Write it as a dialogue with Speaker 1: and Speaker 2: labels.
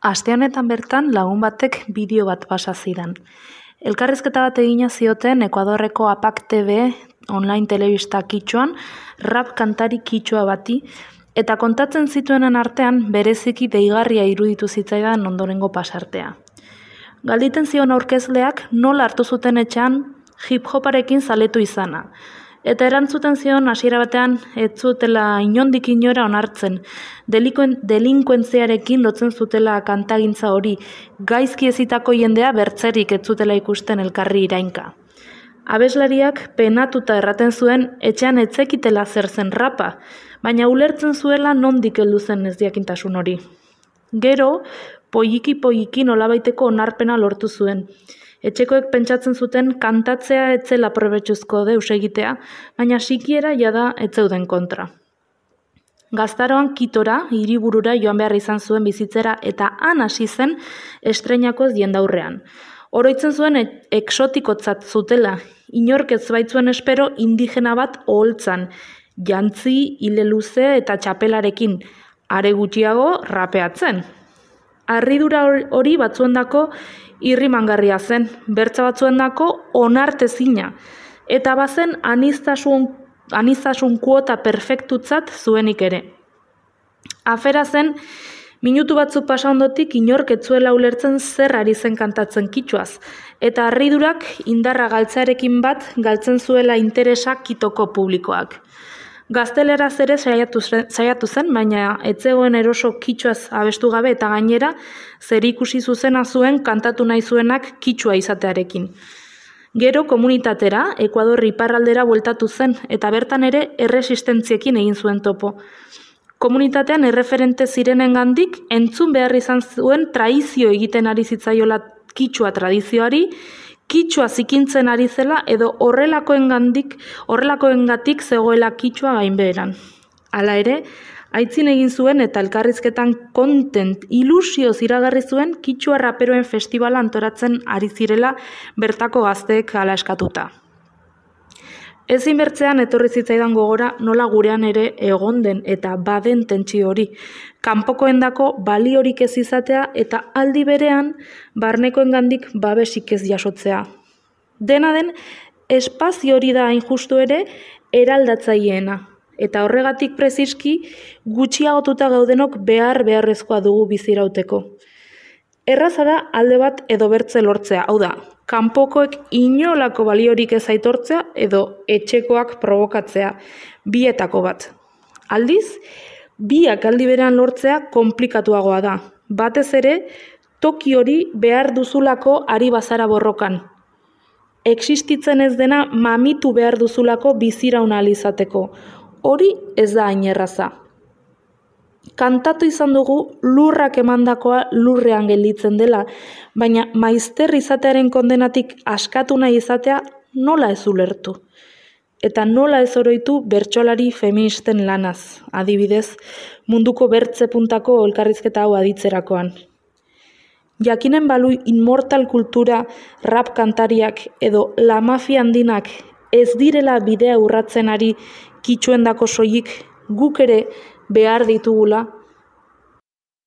Speaker 1: Aste honetan bertan lagun batek bideo bat pasa zidan. Elkarrizketa bat egina zioten Ekuadorreko APAC TV online telebista kitxoan rap kantari kitxoa bati, eta kontatzen zituenen artean bereziki deigarria iruditu zitzaidan ondorengo pasartea. Galditen zion aurkezleak nola hartu zuten etxean hip-hoparekin zaletu izana. Eta erantzuten zion hasiera batean ez zutela inondik inora onartzen, delinkuentziarekin lotzen zutela kantagintza hori, gaizki ezitako jendea bertzerik ez zutela ikusten elkarri irainka. Abeslariak penatuta erraten zuen etxean ez zekitela zer zen rapa, baina ulertzen zuela nondik heldu zen ezjakintasun hori. Gero, poiki nolabaiteko onarpena lortu zuen. Etxekoek pentsatzen zuten kantatzea etzela probetxuzko deus egitea, baina sikiera jada ez zeuden kontra. Gaztaroan Kitora, hiriburura joan behar izan zuen bizitzera eta han hasi zen estreinakoz jendaurrean. Oroitzen zuen exotikotzat zutela, inork ez baitzuen espero indigena bat oholtzan, jantzi, hile luze eta txapelarekin, are gutxiago rapeatzen. Harridura hori batzuendako irrimangarria zen, bertza batzuendako onartezina, eta bazen aniztasun kuota perfektutzat zuenik ere. Afera zen, minutu batzuk pasa ondotik inork ez zuela ulertzen zer ari zen kantatzen kitxoaz, eta harridurak indarra galtzearekin bat galtzen zuela interesa kitoko publikoak. Gazteleraz ere saiatu zen, baina ez zegoen eroso kitxoaz abestu gabe eta gainera zer ikusi zuzena zuen kantatu nahi zuenak kitxoa izatearekin. Gero komunitatera, Ekuador iparraldera bueltatu zen eta bertan ere erresistentziekin egin zuen topo. Komunitatean erreferente zirenengandik entzun behar izan zuen traizio egiten ari zitzaiola kitxoa tradizioari, kitxoa zikintzen ari zela edo horrelakoengatik zegoela kitxoa gainbeheran. Hala ere, aitzin egin zuen eta elkarrizketan kontent ilusioz iragarri zuen kitxoa raperoen festivala antolatzen ari zirela bertako gazteek hala eskatuta. Ezin bertzean etorri zitzaidan gogora nola gurean ere egon den eta baden tentsio hori, kanpokoendako baliorik ez izatea eta aldi berean barnekoengandik babesik ez jasotzea. Dena den, espazio hori da hain justu ere eraldatzaileena, eta horregatik preziski gutxiagotuta gaudenok beharrezkoa dugu bizirauteko. Erraza da alde bat edo bertze lortzea, hau da, kanpokoek inolako baliorik ez aitortzea edo etxekoak probokatzea, bietako bat. Aldiz, biak aldi berean lortzea konplikatuagoa da, batez ere toki hori behar duzulako ari bazara borrokan. Existitzen ez dena mamitu behar duzulako biziraun ahal izateko, hori ez da hain erraza. Kantatu izan dugu lurrak emandakoa lurrean gelditzen dela, baina maizter izatearen kondenatik askatu nahi izatea nola ez ulertu. Eta nola ez oroitu bertsolari feministen lanaz, adibidez, munduko bertze puntako elkarrizketa hau aditzerakoan. Jakinen balu inmortal kultura, rap kantariak edo la mafia handinak ez direla bidea urratzen ari kitxuendako soilik guk ere behar ditugula